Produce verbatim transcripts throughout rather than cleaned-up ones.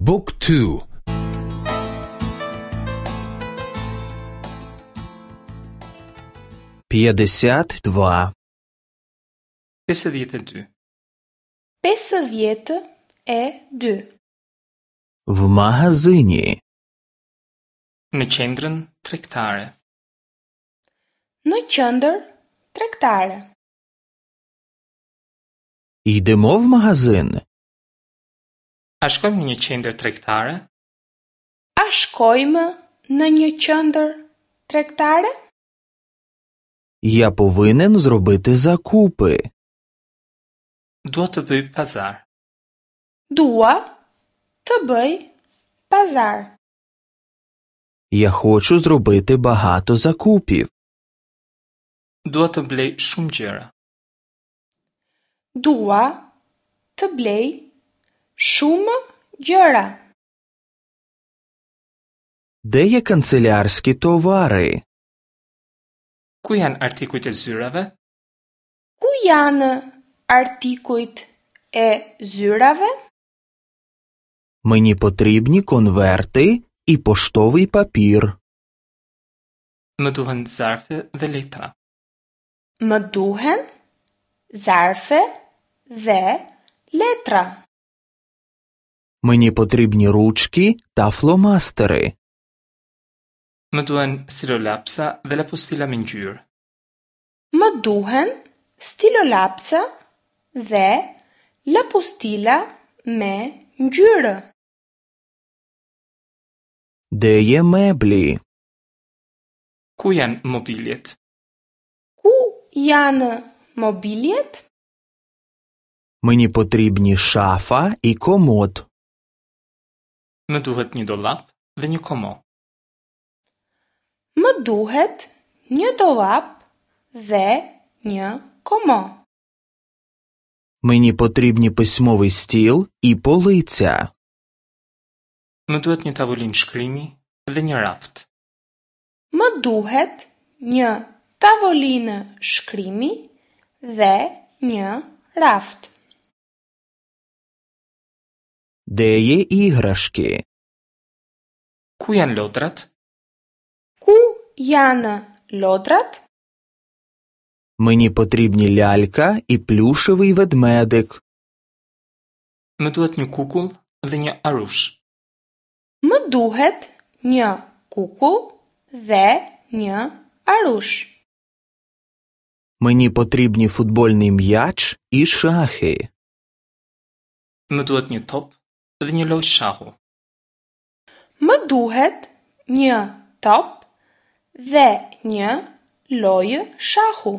Book two. П'ятдесят два. Pesëdhjetë e dy. Pesëdhjetë e dy. В магазині. Në qendrën tregtare. Në qendër tregtare. Йдемо в магазин. A shkojmë në një qendër tregtare? A shkojmë në një qendër tregtare? Я повинен зробити закупи. Dua të bëj pazar. Dua të bëj pazar. Я хочу зробити багато закупів. Dua të blej shumë gjëra. Dua të blej shumë gjëra. Де є канцелярські товари? Ku janë artikujt e zyrave? Ku janë artikujt e zyrave? Мені потрібні конверти і поштовий папір. Më duhen zarfe dhe letra. Më duhen zarfe dhe letra. Мені потрібні ручки та фломастери. Më duhen stilolapsa dhe lapustila me ngjyrë. Më duhen stilolapsa dhe lapustila me ngjyrë. Де є меблі? Ku janë mobiljet? Ku janë mobiljet? Мені потрібні шафа і комод. Më duhet një dollap dhe një komo. Më duhet një dollap dhe një komo. Мені потрібні письмовий стіл і полиця. Më duhet një tavolinë shkrimi dhe një raft. Më duhet një tavolinë shkrimi dhe një raft. Де є іграшки? Ku janë lodrat? Ku janë lodrat? Мені потрібні лялька і плюшевий ведмедик. Më duhet një kukull dhe një arush. Më duhet një kukull dhe një arush. Мені потрібні футбольний м'яч і шахи. Më duhet një top dhe një lojë shahu. Më duhet një top dhe një lojë shahu.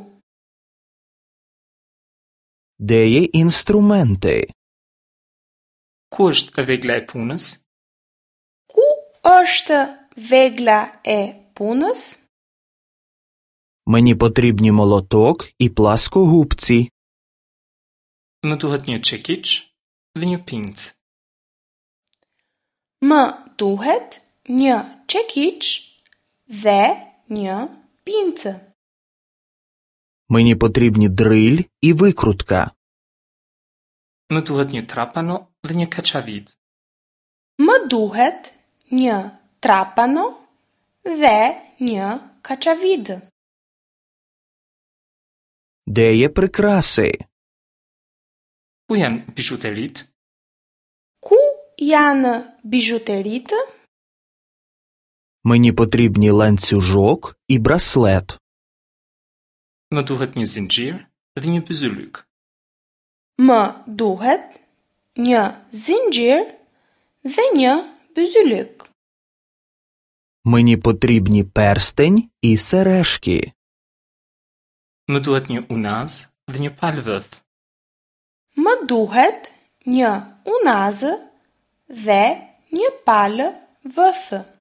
Де є інструменти? Ku është vegla e punës? Ku është vegla e punës? Мені потрібні молоток і пласкогубці. Më duhet një çekiç dhe një pincë. Më duhet një çekiç dhe një pincë. Мені потрібні дриль і викрутка. Më duhet një trapano dhe një kaçavid. Më duhet një trapano dhe një kaçavid. Де є прикраси? Ku janë bizhuteritë? Ku janë bizhuteritë? Мені потрібні ланцюжок і браслет. Më duhet një zinxhir dhe një byzylyk. Më duhet një zinxhir dhe një byzylyk. Мені потрібні перстень і сережки. Më duhet një unaz dhe një palë vëth. Më duhet një unazë dhe një palë vëthë.